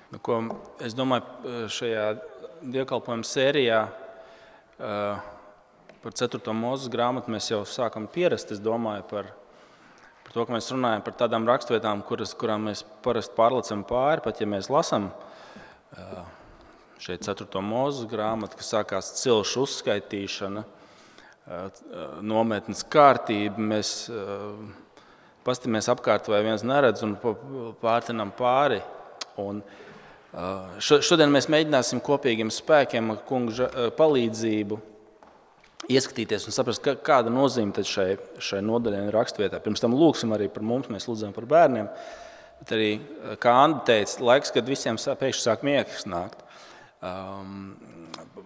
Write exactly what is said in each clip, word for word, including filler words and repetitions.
Nu, ko es domāju, šajā dievkalpojuma sērijā uh, par ceturto Mūzes grāmatu mēs jau sākam pierast, es domāju, par, par to, ka mēs runājam par tādām rakstvietām, kuras, kurām mēs parasti pārlecam pāri, pat ja mēs lasam uh, šeit ceturto Mūzes grāmatu, kas sākās cilšu uzskaitīšana, uh, nometnes kārtība, mēs uh, pastamies apkārt vai viens neredz un pārtinam pāri. Un šodien mēs mēģināsim kopīgiem spēkiem ar kungu palīdzību ieskatīties un saprast, kāda nozīme tad šai, šai nodaļai un rakstvietā. Pirms tam lūksim arī par mums, mēs lūdzam par bērniem, bet arī, kā Anda teica, laiks, kad visiem pēkšņi sāk miegs nākt.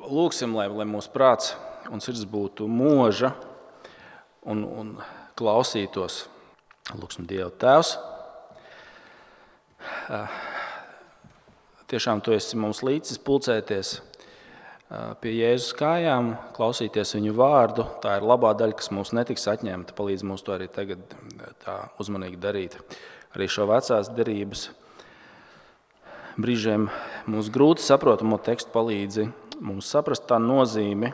Lūksim, lai, lai mūsu prāts un sirds būtu mūža un, un klausītos. Lūksim Dievu. Tēvs, tiešām tu esi mums līdzis pulcēties pie Jēzus kājām, klausīties viņu vārdu. Tā ir labā daļa, kas mums netiks atņemta. Palīdz mums to arī tagad tā uzmanīgi darīt. Arī šo vecās derības brīžiem mums grūti saprotamo tekstu palīdzi mums saprast tā nozīmi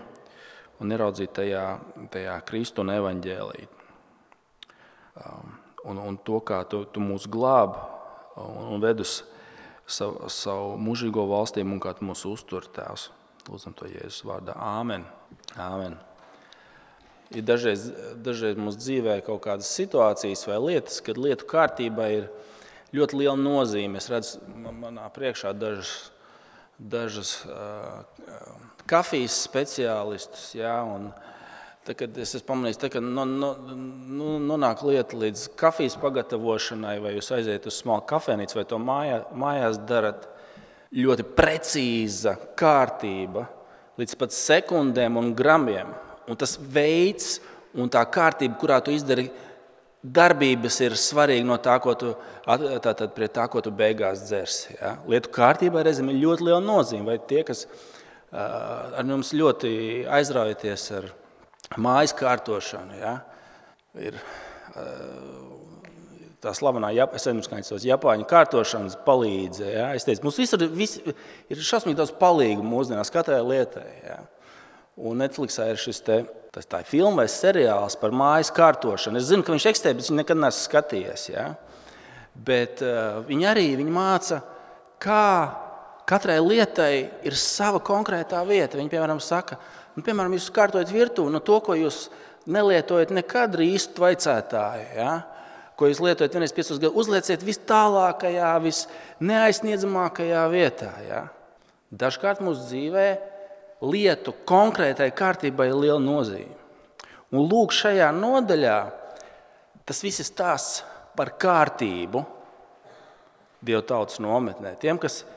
un ieraudzīt tajā, tajā Kristu un evaņģēliju. Un, un to, kā tu, tu mūs glāb un, un ved uz savu, savu mūžīgo valstību un kā tu mūs uztur, Tēvs. Lūdzam to Jēzus vārdā. Āmen. Āmen. Ir dažreiz, dažreiz mūsu dzīvē kaut kādas situācijas vai lietas, kad lietu kārtībā ir ļoti liela nozīme. Es redzu manā priekšā dažas, dažas uh, kafijas speciālistus, jā, un tā, kad es esmu pamanījis, tā, kad no, no, no, nonāk lieta līdz kafijas pagatavošanai, vai jūs aiziet uz smalku kafejnīcu, vai to mājā, mājās darat, ļoti precīza kārtība, līdz pat sekundēm un gramiem. Un tas veids un tā kārtība, kurā tu izdari darbības, ir svarīga no tā, ko tu, tātad pret tā, ko tu beigās dzersi. Ja? Lietu kārtībā reizēm ir ļoti liela nozīme, vai tie, kas uh, ar jums ļoti aizraujaties ar mājas kārtošanu, ja? Ir uh, tā slavenā, es nezinu, kā tos Japāņu kārtošanas palīdze. Ja? Es teicu, mums visur vis, ir šausmīgi daudz palīgu mūsdienās katrai lietai. Ja? Un Netflixā ir šis te, tas tā filma vai seriāls par mājas kārtošanu. Es zinu, ka viņš eksistē, bet viņš nekad neesmu skatījies. Ja? Bet uh, viņi arī viņi māca, kā katrai lietai ir sava konkrētā vieta. Viņi, piemēram, saka, nu, piemēram, jūs kārtojat virtuvi, no to, ko jūs nelietojat nekad rīstu tvaicētāju, ja? Ko jūs lietojat vienreiz piecos gadus, uzlieciet vis tālākajā, vis neaizsniedzamākajā vietā. Ja? Dažkārt mūsu dzīvē lietu konkrētai kārtībai ir liela nozīme. Un lūk, šajā nodaļā tas viss ir stāsts par kārtību Dieva tautas nometnē. Tiem, kas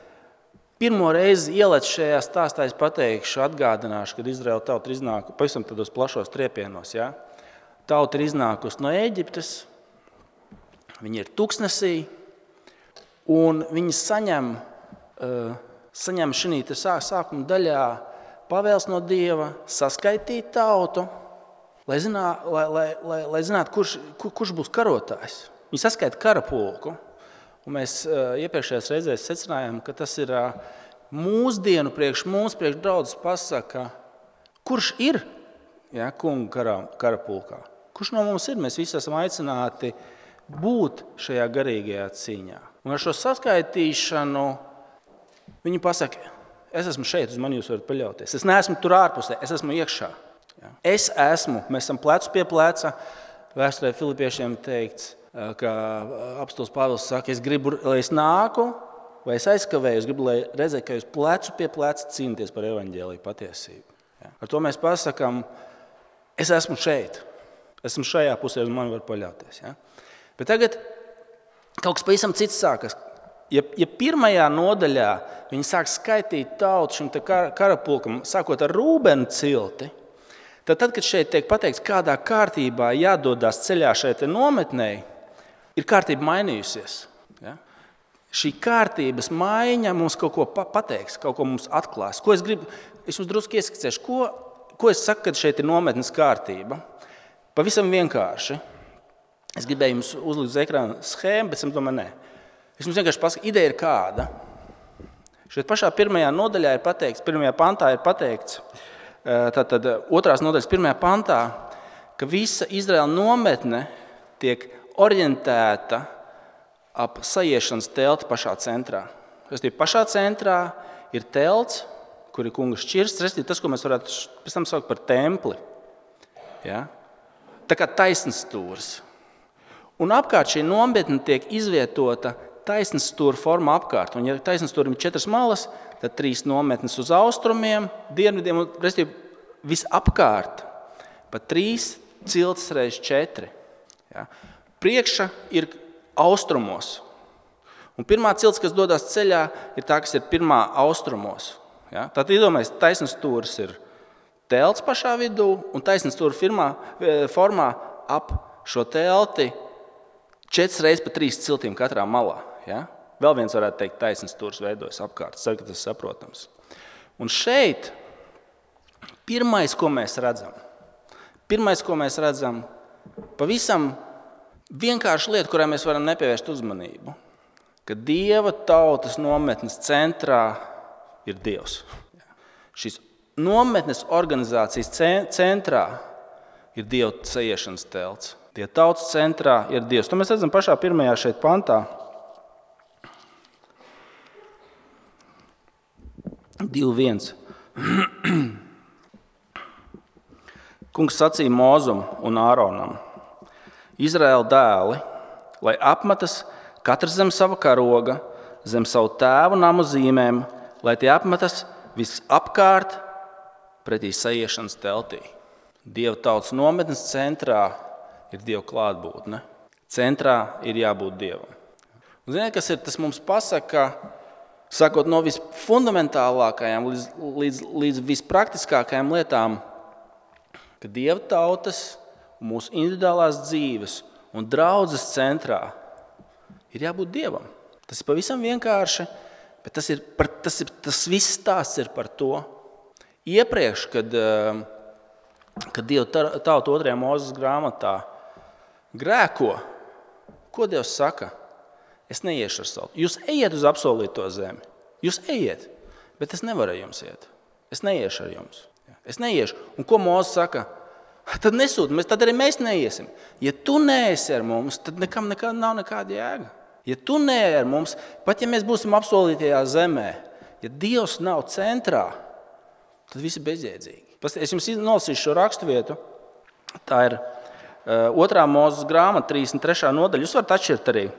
pirmo reizi ielec šajā stāstā, es pateikšu, atgādināšu, kad Izraēla tauta ir iznākusi pavisam tādos plašos triepienos. Ja? Tauta ir iznākusi no Ēģiptes, viņi ir tuksnesī, un viņi saņem, uh, saņem šī sākuma daļā pavēles no Dieva saskaitīt tautu, lai, zinā, lai, lai, lai, lai zinātu, kurš, kur, kurš būs karotājs. Viņi saskaita karapulku, un mēs uh, iepriekšējās reizēs secinājām, ka tas ir uh, mūsdienu priekš mums, priekš draudzes pasaka, kurš ir ja, kunga kara, karapulkā. Kurš no mums ir? Mēs visi esam aicināti būt šajā garīgajā cīņā. Un ar šo saskaitīšanu viņi pasaka, es esmu šeit, uz mani jūs varat paļauties. Es neesmu tur ārpusē, es esmu iekšā. Ja. Es esmu, mēs esam plecu pie pleca. Vēsturē Filipiešiem teikts, ka apostols Pāvils saka, es gribu, lai es nāku, vai es aizkavēju, es gribu, lai redzētu, ka jūs plecu pie pleca cīnīties par evaņģēliju patiesību. Ja. Ar to mēs pasakām, es esmu šeit, esmu šajā pusē, uz mani var paļauties. Ja. Bet tagad kaut kas pavisam cits sākas. Ja, ja pirmajā nodaļā viņi sāk skaitīt tautu šim te karapulkam, sākot ar Rūbena cilti, tad, tad, kad šeit tiek pateikts, kādā kārtībā jādodās ceļā šeit nometnei, ir kārtība mainījusies. Ja? Šī kārtības maiņa mums kaut ko pateiks, kaut ko mums atklās. Ko es gribu, es jums drusku ieskicēšu, ko, ko es saku, kad šeit ir nometnes kārtība. Pavisam vienkārši. Es gribēju jums uzlikt uz ekrāna schēmu, bet es domāju, nē. Es jums vienkārši pasaku, ideja ir kāda. Šeit pašā pirmajā nodaļā ir pateikts, pirmajā pantā ir pateikts, tātad otrās nodaļas pirmajā pantā, ka visa Izraēla nometne tiek orientēta ap sajiešanas telti pašā centrā. Restīvi, pašā centrā ir telts, kur ir kunga šķirsts, restīvi, tas, ko mēs varētu pēc tam saukt par templi. Ja? Tā kā taisns stūris. Un apkārt šī nometne tiek izvietota taisnas stūra formā apkārt. Un ja taisnas stūrim ir četras malas, tad trīs nometnes uz austrumiem, dienvidiem un, restīvi, visapkārt pa trīs ciltis reiz četri. Ja? Priekša ir austrumos. Un pirmā cilts, kas dodas ceļā, ir tā, kas ir pirmā austrumos. Ja? Tātad iedomājies, taisnas stūris ir telts pašā vidū, un taisnas stūra firmā, formā ap šo telti četras reizes pa trīs ciltīm katrā malā. Ja? Vēl viens varētu teikt, taisnas stūris veidojas apkārt. Es ceru, ka tas ir saprotams. Un šeit pirmais, ko mēs redzam, pirmais, ko mēs redzam, pavisam vienkārši lieta, kurai mēs varam nepievērst uzmanību, ka Dieva tautas nometnes centrā ir Dievs. Šīs nometnes organizācijas centrā ir Dieva sajiešanas telts. Dieva tautas centrā ir Dievs. To mēs redzam pašā pirmajā šeit pantā. divi viens. Kungs sacīja Mozum un Āronam: Izraēla dēli, lai apmetas katrs zem sava karoga, zem savu tēvu namu zīmēm, lai tie apmetas visapkārt pretī sajiešanas teltī. Dieva tautas nometnes centrā ir Dieva klātbūtne. Centrā ir jābūt Dievam. Un ziniet, kas ir tas mums pasaka, sakot no visfundamentālākajām līdz, līdz, līdz vispraktiskākajām lietām, ka Dieva tautas un mūsu individuālās dzīves un draudzes centrā ir jābūt Dievam. Tas ir pavisam vienkārši, bet tas, ir par, tas, ir, tas viss stāsts ir par to. Iepriekš, kad, kad Dieva tauta otrajā Mūzes grāmatā grēko, ko Dievs saka? Es neiešu ar savu. Jūs ejiet uz apsolīto zemi. Jūs ejiet, bet es nevaru jums iet. Es neiešu ar jums. Es neiešu. Un ko Mūzes saka? Tad nesūti, tad arī mēs neiesim. Ja tu neesi ar mums, tad nekam nekā, nav nekāda jēga. Ja tu neesi ar mums, pat ja mēs būsim apsolītajā zemē, ja Dievs nav centrā, tad viss ir bezjēdzīgi. Es jums nolasīšu šo raksturvietu. Tā ir uh, otrā Mūzes grāmata, trīsdesmit trešā nodaļa. Jūs varat atšķirt arī.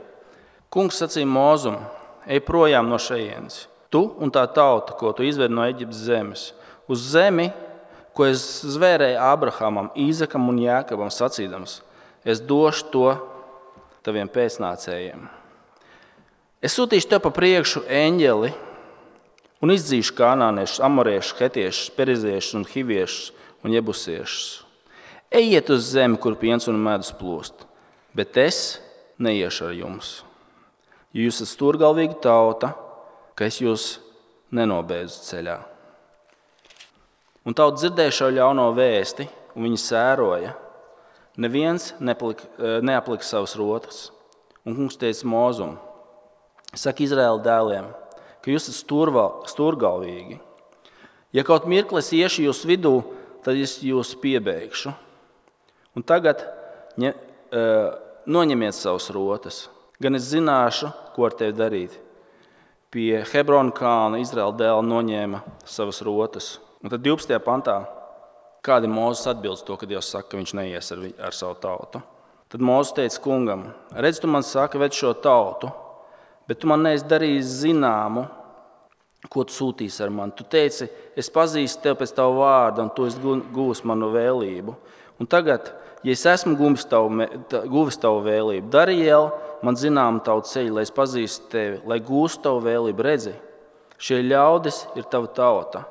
Kungs sacīja Mozum: ej projām no šejienes, tu un tā tauta, ko tu izvedi no Eģiptes zemes, uz zemi, ko es zvērēju Abrahamam, Īzakam un Jākabam sacīdams: es došu to taviem pēcnācējiem. Es sūtīšu tev pa priekšu eņģeli un izdzīšu kanāniešus, amoriešus, hetiešus, periziešus un hiviešus un jebusiešus. Ejiet uz zemi, kur piens un medus plūst, bet es neiešu ar jums. Jo jūs esat stūrgalvīga tauta, ka es jūs nenobēdzu ceļā. Un tauta dzirdēja šo ļauno vēsti, un viņi sēroja. Neviens nepalika, neaplika savas rotas. Un kungs teica Mozum: saka Izraēla dēliem, ka jūs esat stūrval, stūrgalvīgi. Ja kaut mirkli es iešu jūs vidū, tad es jūs piebeigšu. Un tagad ņem, noņemiet savas rotas. Gan es zināšu, ko ar tevi darīt. Pie Hebrona kalna Izraēla dēli noņēma savas rotas. Un tad divpadsmitajā pantā, kādi Mūzes atbildes to, kad Dievs saka, ka viņš neies ar, ar savu tautu. Tad Mūzes teica kungam: redz, tu man saki, ved šo tautu, bet tu man neesi darījis zināmu, ko tu sūtīsi ar mani. Tu teici: es pazīstu tevi pēc tavu vārdu, un tu esi guvis manu vēlību. Un tagad, ja es esmu guvis tavu, guvis tavu vēlību, dari jau man zinām tavu ceļu, lai es pazīstu tevi, lai gūstu tavu vēlību. Redzi, šie ļaudis ir tava tauta.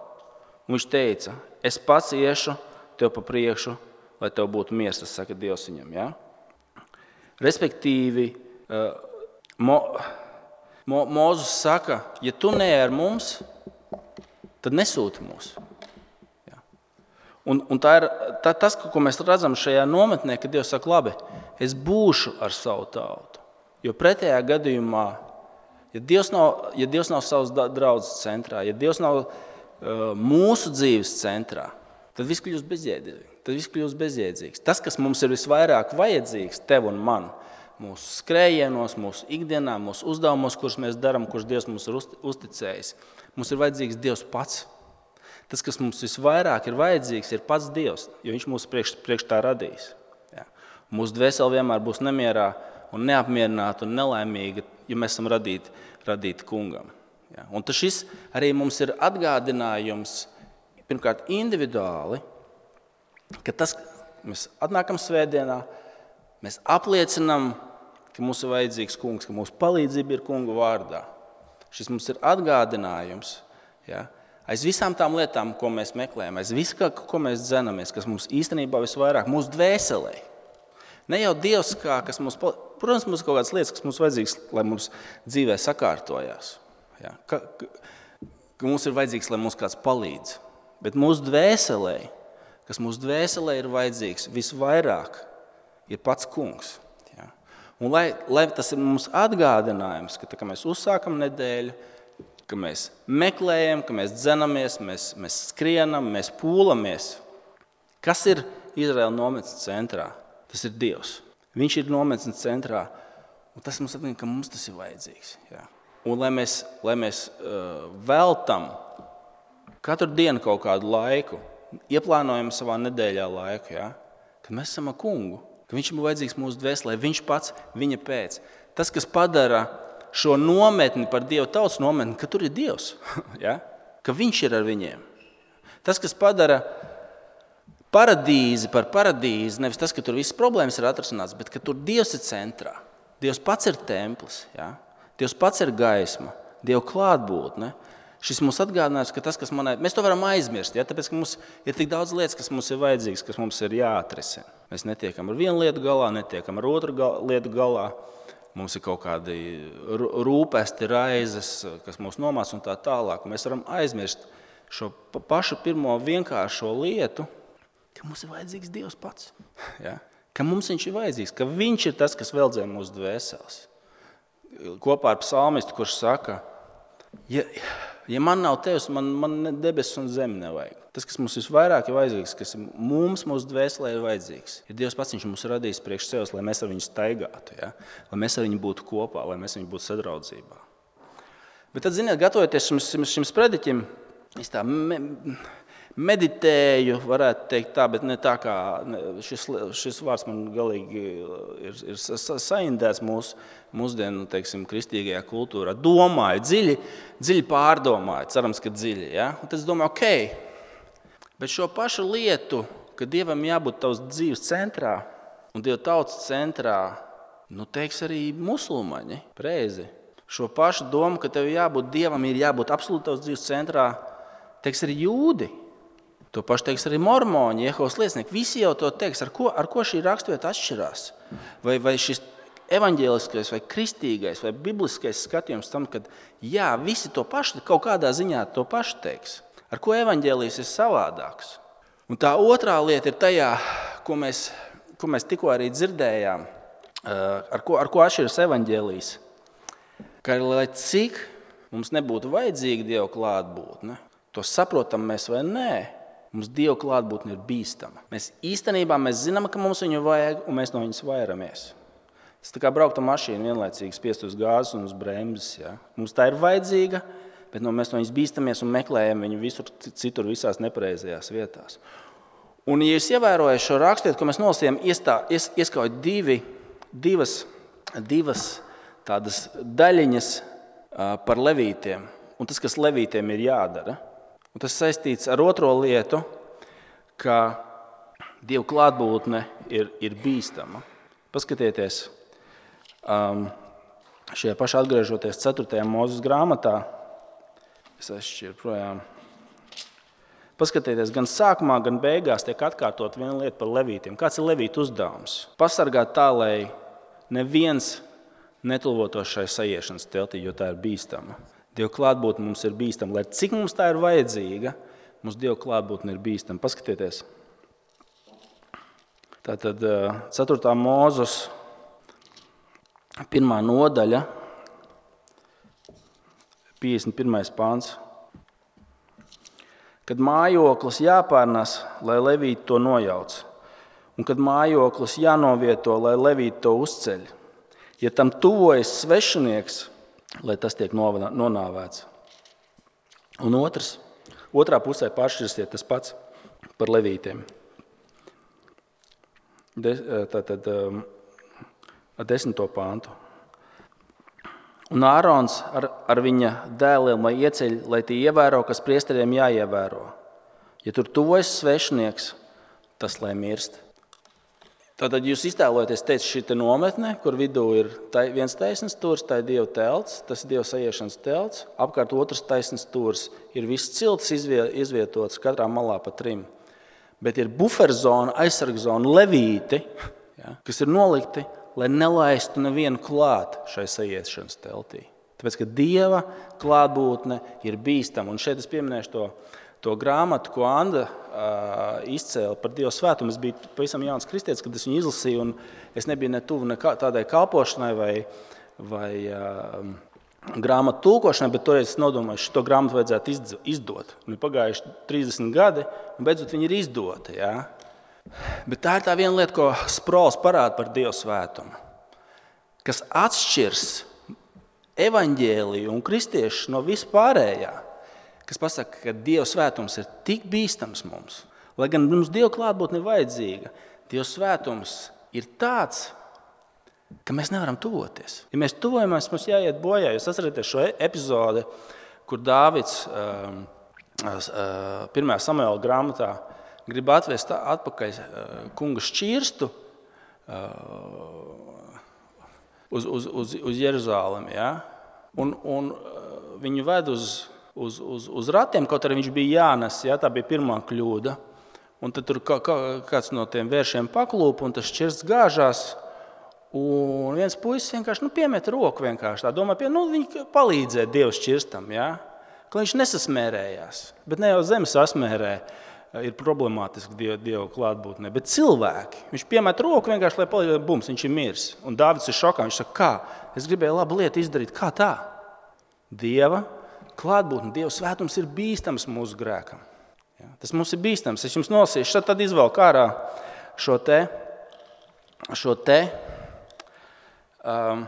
Un viņš teica: es pats iešu tev pa priekšu, lai tev būtu miers, tas saka Dievs viņam. Ja? Respektīvi, Mo, Mo, Mozus saka, ja tu ne ar mums, tad nesūti mūs. Ja? Un, un tā ir tā, tas, ko mēs redzam šajā nometnē, kad Dievs saka, labi, es būšu ar savu tautu. Jo pretējā gadījumā Ja Dievs nav, ja Dievs nav savas draudzes centrā, ja Dievs nav uh, mūsu dzīves centrā, tad viss kļūst bezjēdzīgs. Tad viss kļūst bezjēdzīgs. Tas, kas mums ir visvairāk vajadzīgs, tev un man, mūsu skrējienos, mūsu ikdienā, mūsu uzdevumos, kurus mēs darām, kurus Dievs mums ir uzticējis, mums ir vajadzīgs Dievs pats. Tas, kas mums visvairāk ir vajadzīgs, ir pats Dievs, jo Viņš mūs priekš, priekš tā radījis. Ja. Mūsu dvēsele vienmēr būs nemierā un neapmierināta un nelaimīga, ja mēs esam radīti, radīti kungam. Ja. Un tas šis arī mums ir atgādinājums, pirmkārt individuāli, ka tas, mēs atnākam svētdienā, mēs apliecinām, ka mums ir vajadzīgs kungs, ka mūsu palīdzība ir kunga vārdā. Šis mums ir atgādinājums, ja, aiz visām tām lietām, ko mēs meklējam, aiz visu, ko mēs dzenamies, kas mums īstenībā visvairāk, mūsu dvēselē. Ne jau Dievs, kā, kas mums, protams, mums ir kaut kādas lietas, kas mums vajadzīgs, lai mums dzīvē sakārtojās. Ja, ka, ka, ka mums ir vajadzīgs, lai mums kāds palīdz. Bet mūsu dvēselē, kas mūsu dvēselē ir vajadzīgs visvairāk, ir pats kungs. Ja. Un lai, lai tas ir mums atgādinājums, ka tā, ka mēs uzsākam nedēļu, ka mēs meklējam, ka mēs dzenamies, mēs, mēs skrienam, mēs pūlamies. Kas ir Izraēla nometnes centrā? Tas ir Dievs. Viņš ir nometnes centrā, un tas mums atgādina, ka mums tas ir vajadzīgs. Ja. Un lai mēs, lai mēs uh, veltam katru dienu kaut kādu laiku, ieplānojam savā nedēļā laiku, ja, kad mēs esam ar kungu, ka viņš ir vajadzīgs mūsu dvēselē, viņš pats, viņa pēc. Tas, kas padara šo nometni par Dievu tautas nometni, ka tur ir Dievs, ja, ka viņš ir ar viņiem. Tas, kas padara paradīzi par paradīzi, nevis tas, ka tur visas problēmas ir atrasināts, bet ka tur Dievs ir centrā. Dievs pats ir templis, ja, Dievs pats ir gaisma, Dieva klātbūtne. Šis mums atgādinājums, ka tas, kas manai, mēs to varam aizmirst, ja? Tāpēc, ka mums ir tik daudz lietas, kas mums ir vajadzīgas, kas mums ir jāatrisina. Mēs netiekam ar vienu lietu galā, netiekam ar otru gal, lietu galā. Mums ir kaut kādi rūpesti, raizes, kas mūs nomāc un tā tālāk. Un mēs varam aizmirst šo pašu pirmo vienkāršo lietu, ka mums ir vajadzīgs Dievs pats. Ja? Ka mums viņš ir vajadzīgs, ka viņš ir tas, kas veldzē mūsu dvēseles. Kopā ar psalmistu, kurš saka, ja... Ja man nav tevs, man, man debesis un zemi nevajag. Tas, kas mums visvairāk ir vajadzīgs, kas mums, mūsu dvēselē ir vajadzīgs, ir Dievs pats, viņš mums radījis priekš sevis, lai mēs ar viņu staigātu, ja? Lai mēs ar viņu būtu kopā, lai mēs ar viņu būtu sadraudzībā. Bet tad, ziniet, gatavoties šim, šim, šim sprediķim, es tā me, meditēju, varētu teikt tā, bet ne tā kā šis, šis vārds man galīgi ir, ir saindēts mūsu, mūsdienu, teiksim, kristīgajā kultūrā. Domāju, dziļi, dziļi pārdomāju, cerams, ka dziļi. Ja? Un tad es domāju, ok, bet šo pašu lietu, ka Dievam jābūt tavs dzīves centrā un Dieva tautas centrā, nu teiks arī musulmaņi, preizi. Šo pašu domu, ka tev jābūt Dievam, ir jābūt absolūti tavs dzīves centrā, teiks arī jūdi. To pašu teiks arī mormoņi, Jehovas liecinieki. Visi jau to teiks, ar ko, ar ko šī raksturvieta atšķirās. Vai, vai šis evaņģēliskais, vai kristīgais, vai bibliskais skatījums tam, ka jā, visi to pašu, kaut kādā ziņā to pašu teiks. Ar ko evaņģēlijs ir savādāks. Un tā otrā lieta ir tajā, ko mēs, ko mēs tikko arī dzirdējām, ar ko, ar ko atšķiras evaņģēlijs. Ka lai cik mums nebūtu vajadzīga Dieva klātbūtne, to saprotam mēs vai nē, mums Dieva klātbūtne ir bīstama. Mēs īstenībā mēs zinām, ka mums viņu vajag, un mēs no viņas vairamies. Tas tā kā braukt ar mašīnu vienlaicīgi spiest uz gāzes un uz bremzes. Ja? Mums tā ir vajadzīga, bet no mēs no viņas bīstamies un meklējam viņu visur citur visās nepareizajās vietās. Un, ja jūs ievērojat šo rakstietu, ko mēs nolasījām, ies, ieskauj divi, divas, divas tādas daļiņas par levītiem, un tas, kas levītiem ir jādara. Un tas saistīts ar otro lietu, ka Dieva klātbūtne ir, ir bīstama. Paskatieties, um, šajā pašā atgriežoties ceturtajā Mūzes grāmatā, es aizšķiru projām. Paskatieties, gan sākumā, gan beigās tiek atkārtot viena lieta par levītiem. Kāds ir levītu uzdevums? Pasargāt tā, lai neviens netulvotos šai saiešanas teltī, jo tā ir bīstama. Dieva klātbūtne mums ir bīstama. Lai cik mums tā ir vajadzīga, mums Dieva klātbūtne ir bīstama. Paskatieties. Tātad ceturtā Mūzes pirmā nodaļa piecdesmit pirmais pāns. Kad mājoklis jāpārnes, lai levīti to nojauc, un kad mājoklis jānovieto, lai levīti to uzceļ. Ja tam tuvojas svešinieks, lai tas tiek nonāvēts. Un otrs, otrā pusē pāršķirsiet tas pats par levītiem. Tātad ar desmito pāntu. Un Ārons ar, ar viņa dēliem lai ieceļ, lai tie ievēro, kas priesteriem jāievēro. Ja tur tuvojas svešnieks, tas lai mirst. Tātad jūs iztēlojaties, teicu, šī te nometne, kur vidū ir viens taisnes stūrs, tā ir Dieva telts, tas ir Dieva saiešanas telts, apkārt otrs taisnes stūrs, ir viss cilts izvietots katrā malā pa trim. Bet ir buferzona, aizsargzona, levīti, ja, kas ir nolikti, lai nelaistu nevienu klāt šai saiešanas teltī. Tāpēc, ka Dieva klātbūtne ir bīstama. Un šeit es pieminēšu to, to grāmatu, ko Anda uh, izcēla par Dieva svētumu. Es biju pavisam jauns kristietis, kad es viņu izlasīju, un es nebiju ne tuvu ne tādai kalpošanai vai, vai uh, grāmatu tulkošanai, bet toreiz es nodomāju, šo grāmatu vajadzētu izdot. Un ir pagājuši trīsdesmit gadi, un beidzot viņi ir izdoti. Ja? Bet tā ir tā viena lieta, ko Sprols parāda par Dieva svētumu, kas atšķirs evaņģēliju un kristiešus no vispārējā, kas pasaka, ka Dieva svētums ir tik bīstams mums. Lai gan mums Dieva klātbūtne ir vajadzīga, Dieva svētums ir tāds, ka mēs nevaram tuvoties. Ja mēs tuvojamies, mums jāiet bojā. Jūs atceraties šo epizodi, kur Dāvids um, uh, pirmajā Samuela grāmatā grib atvest atpakaļ kunga šķirstu uz, uz, uz, uz Jeruzālemi. Ja? Un, un viņu ved uz, uz, uz, uz ratiem, kaut arī viņš bija jānes. Ja? Tā bija pirmā kļūda. Un tad tur kāds no tiem vēršiem paklūpa, un tas šķirsts gāžās. Un viens puisis vienkārši nu, piemet roku vienkārši. Tā domā, pie, nu, viņi palīdzēja Dievu šķirstam, ja? Ka viņš nesasmērējās. Bet ne jau zemes sasmērē. Ir problemātiski Dieva, Dieva klātbūtnē, bet cilvēki, viņš piemet roku vienkārši, lai palīdzētu, bums, viņš ir miris. Un Dāvids ir šokā, viņš saka, kā? Es gribēju labu lietu izdarīt, kā tā? Dieva klātbūtne, Dieva svētums ir bīstams mūsu grēkam. Ja? Tas mums ir bīstams. Es jums nolasīšu, tad izvelku ārā šo te, šo te um,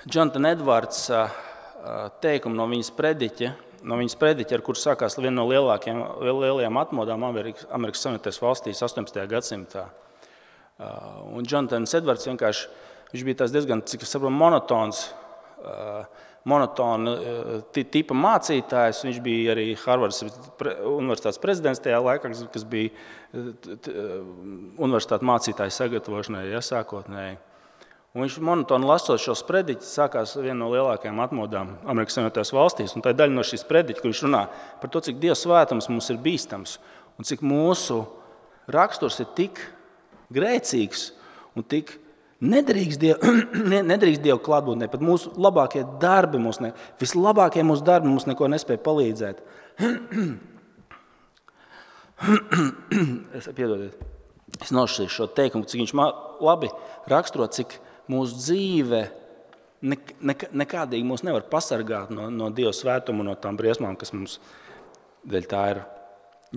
Jonathan Edwards uh, teikumu no viņas prediķa, no viņas prediķa, ar kur sākās viena no lielākajām, lielajām atmodām Amerikas, Amerikas Savienotajās valstīs astoņpadsmitajā gadsimtā. Un Jonathans Edvards vienkārši, viņš bija tās diezgan, cik es saprotu, monotons, monotona tipa mācītājs. Viņš bija arī Harvardas universitātes prezidents tajā laikā, kas bija universitātes mācītāju sagatavošanai, ja, sākotnēji. Un viņš monotoni lasot šos prediķus, sākās viena no lielākajām atmodām Amerikas Savienotajās valstīs. Un tā ir daļa no šīs prediķa, kur viņš runā par to, cik Dieva svētums mums ir bīstams un cik mūsu raksturs ir tik grēcīgs un tik nedrīkst Dievu, nedrīkst Dievu klātbūtnē. Pat mūsu labākie darbi, mūsu ne, vislabākie mūsu darbi mums neko nespēja palīdzēt. es piedodiet. Es nošķīšu šo teikumu, cik viņš labi raksturo, cik mūsu dzīve ne, ne, nekādīgi mūs nevar pasargāt no, no Dieva svētuma un no tām briesmām, kas mums dēļ tā ir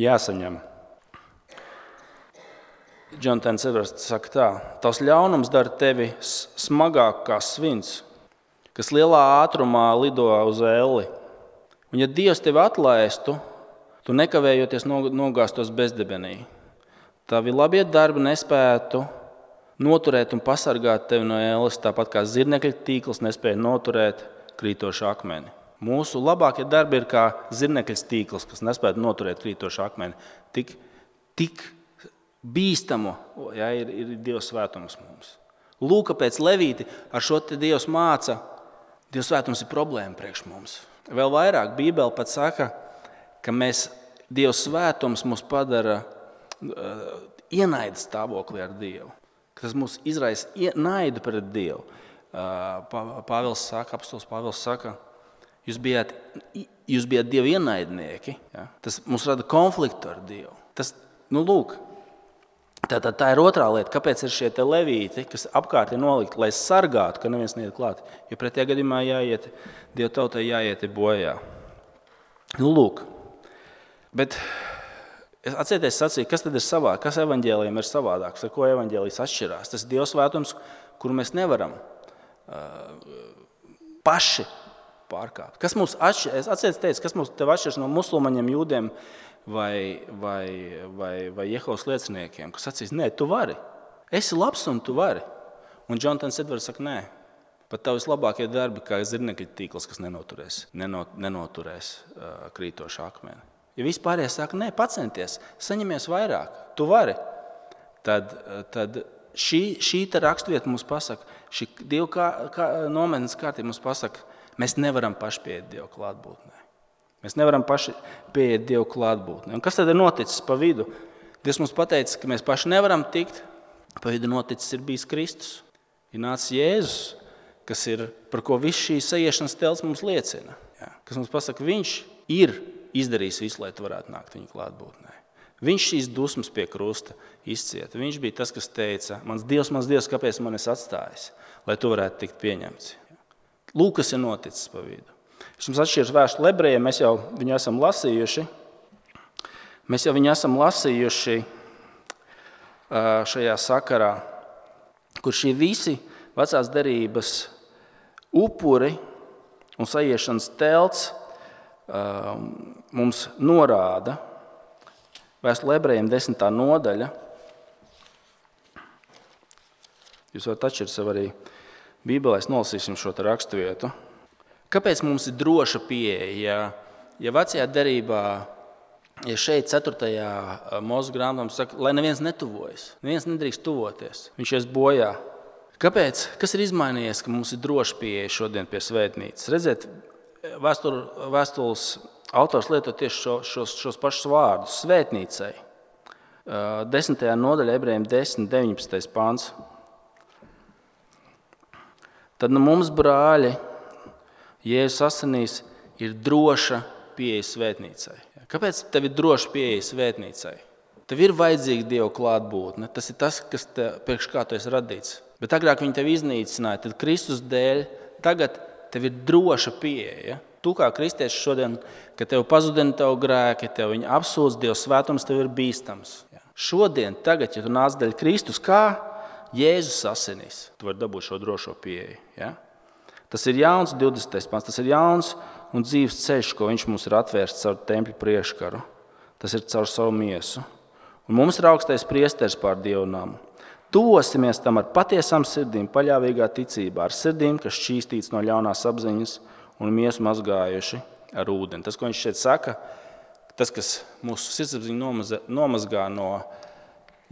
jāsaņem. Jonathans Edvards saka tā, tavs ļaunums dara tevi smagāk kā svins, kas lielā ātrumā lido uz elli. Un ja Dievs tevi atlaistu, tu nekavējoties nogāstos bezdebenī. Tavi labie darbi nespētu noturēt un pasargāt tevi no ēles, tāpat kā zirnekļa tīkls nespēja noturēt krītošu akmeni. Mūsu labākie darbi ir kā zirnekļa tīkls, kas nespētu noturēt krītošu akmeni. Tik, tik bīstamu ja, ir, ir Dieva svētums mums. Lūk, pēc Levīti ar šo te Dievs māca, Dieva svētums ir problēma priekš mums. Vēl vairāk Bībele pat saka, ka mēs, Dieva svētums mūs padara ienaida stāvoklī ar Dievu. Tas mūs izraisa naidu pret Dievu. Pāvils saka, apostols Pāvils saka, jūs bijāt, jūs bijāt Dieva ienaidnieki. Ja? Tas mums rada konfliktu ar Dievu. Tas, nu lūk, Tātad tā ir otrā lieta, kāpēc ir šie te levīti, kas apkārt ir nolikti, lai sargātu, ka neviens neiet klāt. Jo pretējā gadījumā jāiet, Dieva tautai jāiet bojā. Nu, lūk. Bet atcerieties sacīt, kas tad ir savādāk, kas evaņģēlijam ir savādāks, ar ko evaņģēlijs atšķirās. Tas ir Dieva svētums, kuru mēs nevaram uh, paši pārkāpt. Kas mums atšķiras, atcerieties teicu, kas mums tev atšķiras no musulmaņiem, jūdiem, vai, vai, vai, vai Jehovas lieciniekiem, kas sacīs, nē, tu vari. Esi labs un tu vari. Un Jonatans Edvards saka, nē, pat tavs labākie darbi, kā zirnekļa tīkls, kas nenoturēs, nenot, nenoturēs uh, krītošu akmeni. Ja vispārējie saka, nē, pacenties, saņemies vairāk, tu vari, tad, tad šī, šī te rakstvieta mums pasaka, šī Dieva kā, kā, nometnes kārtība mums pasaka, mēs nevaram paši pieiet Dieva klātbūtnē. Mēs nevaram paši pieiet Dievu klātbūtnē. Un kas tad ir noticis pa vidu? Dievs mums pateica, ka mēs paši nevaram tikt. Pa vidu noticis ir bijis Kristus. Ir nācis Jēzus, kas ir, par ko viss šī sajiešanas telts mums liecina. Jā. Kas mums pasaka, viņš ir izdarījis visu, lai tu varētu nākt viņa klātbūtnē. Viņš šīs dusmas pie krusta izcieta. Viņš bija tas, kas teica, mans Dievs, mans Dievs, kāpēc man esi atstājis, lai tu varētu tikt pieņemts. Lūk, kas ir noticis pa vidu. Es jums atšķiru vēstuli ebrejiem, mēs jau viņu esam lasījuši. Mēs jau viņu esam lasījuši šajā sakarā, kur šī visi vecās derības upuri un sajiešanas telts mums norāda. Vēstuli ebrejiem desmitā nodaļa. Jūs varat atšķirt sev arī Bībelēs, nolasīsim šo te raksturvietu. Kāpēc mums ir droša pieeja? Ja, ja vecajā derībā, ja šeit ceturtajā Mūzes grāmatā saka, lai neviens netuvojas, neviens nedrīkst tuvoties, viņš ies bojā. Kāpēc? Kas ir izmainījies, ka mums ir droša pieeja šodien pie svētnīcas? Redziet, vēstur, vēstules autors lieto tieši šo, šos, šos pašus vārdus svētnīcai. Desmitajā nodaļā ebrejiem desmit, deviņpadsmitais pāns. Tad nu mums, brāļi, Jēzus asinīs ir droša pieeja svētnīcai. Kāpēc tev ir droša pieeja svētnīcai? Tev ir vajadzīga Dieva klātbūtne. Tas ir tas, kas te, priekš kā tu esi radīts. Bet agrāk viņi tev iznīcināja, tad Kristus dēļ tagad tev ir droša pieeja. Tu kā kristieši šodien, kad tev pazudina tev grēki, tev viņi apsūdz, Dieva svētums tev ir bīstams. Šodien, tagad, ja tu nāc dēļ Kristus, kā Jēzus asinīs, tu vari dabūt šo drošo pieeju. Ja? Tas ir jauns, divdesmitais pants, tas ir jauns un dzīves ceļš, ko viņš mums ir atvērsts caur tempļa priekškaru. Tas ir caur savu miesu. Un mums ir augstais priesteris pār Dievu namu. Tuvosimies tam ar patiesām sirdīm, paļāvīgā ticībā, ar sirdīm, kas šķīstīts no ļaunās apziņas un miesu mazgājuši ar ūdeni. Tas, ko viņš šeit saka, tas, kas mūsu sirdsapziņu nomazgā no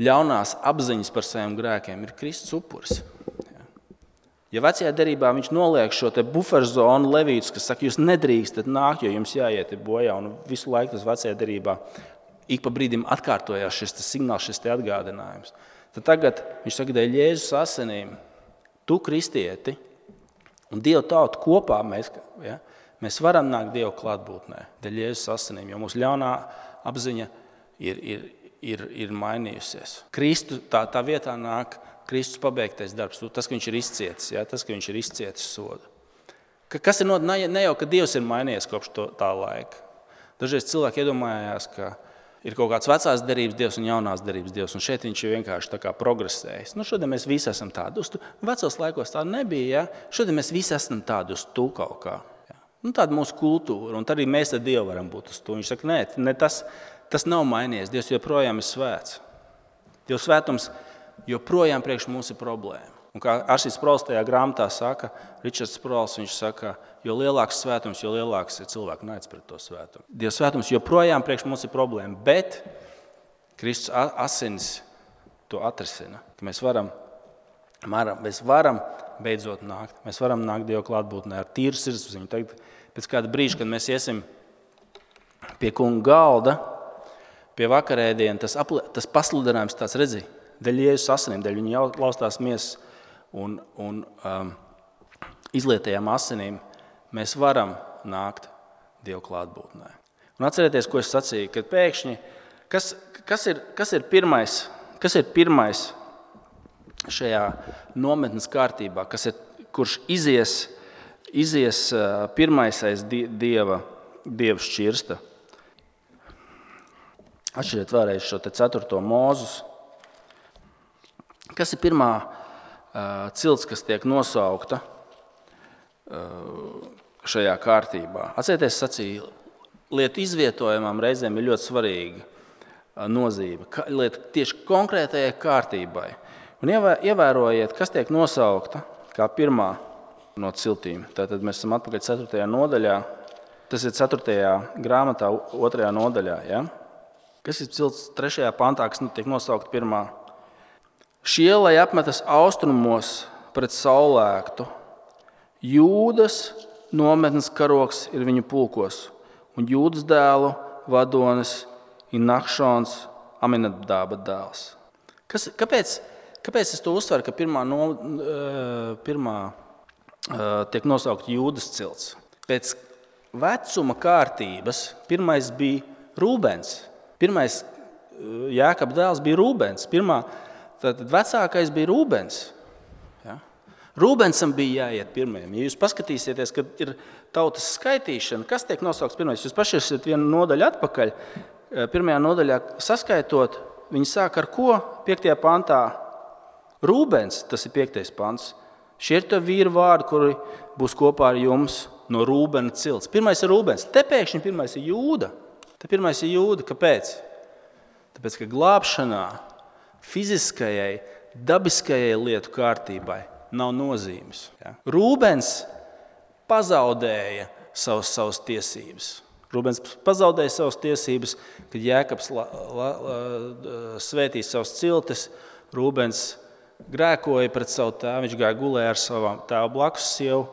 ļaunās apziņas par saviem grēkiem, ir Kristus upuris. Ja vecajā derībā viņš noliek šo te buferzonu levītus, kas saka, jūs nedrīkstat nākt, jo jums jāiet bojā, un visu laiku tas vecajā derībā ik pa brīdim atkārtojās šis signāls, šis te atgādinājums. Tad tagad viņš saka, dēļ Jēzus asinīm, tu kristieti un Dieva tauta kopā mēs, ja, mēs varam nākt Dieva klātbūtnē, dēļ Jēzus asinīm, jo mūsu ļaunā apziņa ir, ir, ir, ir mainījusies. Kristu tā, tā vietā nāk Kristus pabeigtais darbs, tas, ka viņš ir izcietis, ja, tas, ka viņš ir izcietis sodu. Kas ir not, ne jau, ka Dievs ir mainījies kopš to, tā laika. Dažreiz cilvēki iedomājās, ka ir kaut kāds vecās derības Dievs un jaunās derības Dievs, un šeit viņš ir vienkārši tā kā progresējis. Nu, šodien mēs visi esam tādi. Uz tu, vecos laikos tā nebija, ja? Šodien mēs visi esam tādi uz tu kaut kā. Ja? Nu, tāda mūsu kultūra, un tad arī mēs ar Dievu varam būt uz tu. Viņš saka, nē, ne, tas, tas nav mainījies. Dievs joprojām ir svēts. Dieva svētums joprojām priekš mums ir problēma. Un kā Aršīs Sprols tajā grāmatā saka, Ričards Sprols, viņš saka, jo lielāks svētums, jo lielāks ir cilvēku naids pret to svētumu. Dieva svētums joprojām priekš mums ir problēma, bet Kristus asinis to atrisina, ka mēs varam, mēs varam beidzot nākt. Mēs varam nākt Dieva klātbūtnē ar tīru sirdsapziņu. Tagad pēc kāda brīža, kad mēs iesim pie kunga galda, pie vakarēdiena, tas, apli, tas pasludinājums tāds redzi, dēļ Jēzus asinīm, dēļ viņa laustās miesas un, un um, izlietajām asinīm, mēs varam nākt Dieva klātbūtnē. Un atcerieties, ko es sacīju, kad pēkšņi, kas, kas, ir, kas ir pirmais, Kas ir pirmais šajā nometnes kārtībā, kas ir, kurš izies, izies pirmais aiz dieva, dieva šķirsta? Atšķiriet vēlreiz šo te ceturto Mūzus. Kas ir pirmā uh, cilts, kas tiek nosaukta uh, šajā kārtībā? Atcerieties, sacīju, lietu izvietojumam reizēm ir ļoti svarīga uh, nozīme. Ka, lietu tieši konkrētajai kārtībai. Un ievērojiet, kas tiek nosaukta kā pirmā no ciltīm. Tātad mēs esam atpakaļ ceturtajā nodaļā. Tas ir ceturtajā grāmatā, otrajā nodaļā. Ja? Kas ir cilts trešajā pantā, kas tiek nosaukt pirmā? Šie, lai apmetas austrumos pret saulēktu, Jūdas nometnes karoks ir viņu pulkos, un Jūdas dēlu vadonis ir Nahšons, Aminadāba dēls. Kas, kāpēc, kāpēc es to uzsveru, ka pirmā, no, pirmā tiek nosaukt Jūdas cilts? Pēc vecuma kārtības pirmais bija Rūbens. Pirmais Jākaba dēls bija Rūbens. Pirmā, tad vecākais bija Rūbens. Ja? Rūbensam bija jāiet pirmajam. Ja jūs paskatīsieties, kad ir tautas skaitīšana, kas tiek nosaukts pirmais? Jūs paši esat vienu nodaļu atpakaļ. Pirmajā nodaļā saskaitot, viņi sāk ar ko? Piektajā pantā. Rūbens, tas ir piektais pants. Šie ir tavi vīri vārdi, kuri būs kopā ar jums no Rūbena cilts. Pirmais ir Rūbens. Te pēkšņi pirmais ir Jūda. Te pirmais ir Jūda. Kāpēc? Tāpēc, ka glābšanā fiziskajai, dabiskajai lietu kārtībai nav nozīmes. Ja? Rūbens pazaudēja savas, savas tiesības. Rūbens pazaudēja savas tiesības, kad Jēkabs la, la, la, svētīja savas ciltis. Rūbens grēkoja pret savu tēvu, viņš gāja gulēja ar savu tēvu blakus sievu.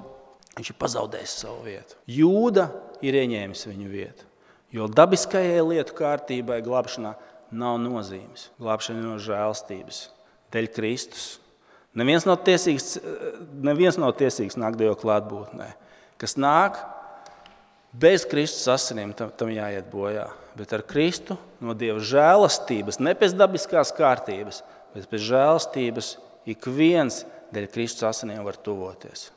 Viņš ir pazaudējis savu vietu. Jūda ir ieņēmis viņu vietu. Jo dabiskajai lietu kārtībai glābšanā nav nozīmes. Glābšana no žēlstības, dēļ Kristus. Neviens nav tiesīgs, neviens nav tiesīgs nākt Dieva klātbūtnē. Kas nāk bez Kristus asinīm, tam, tam jāiet bojā. Bet ar Kristu no Dieva žēlastības, ne pēc dabiskās kārtības, bet pēc žēlastības ik viens dēļ Kristus asinīm var tuvoties.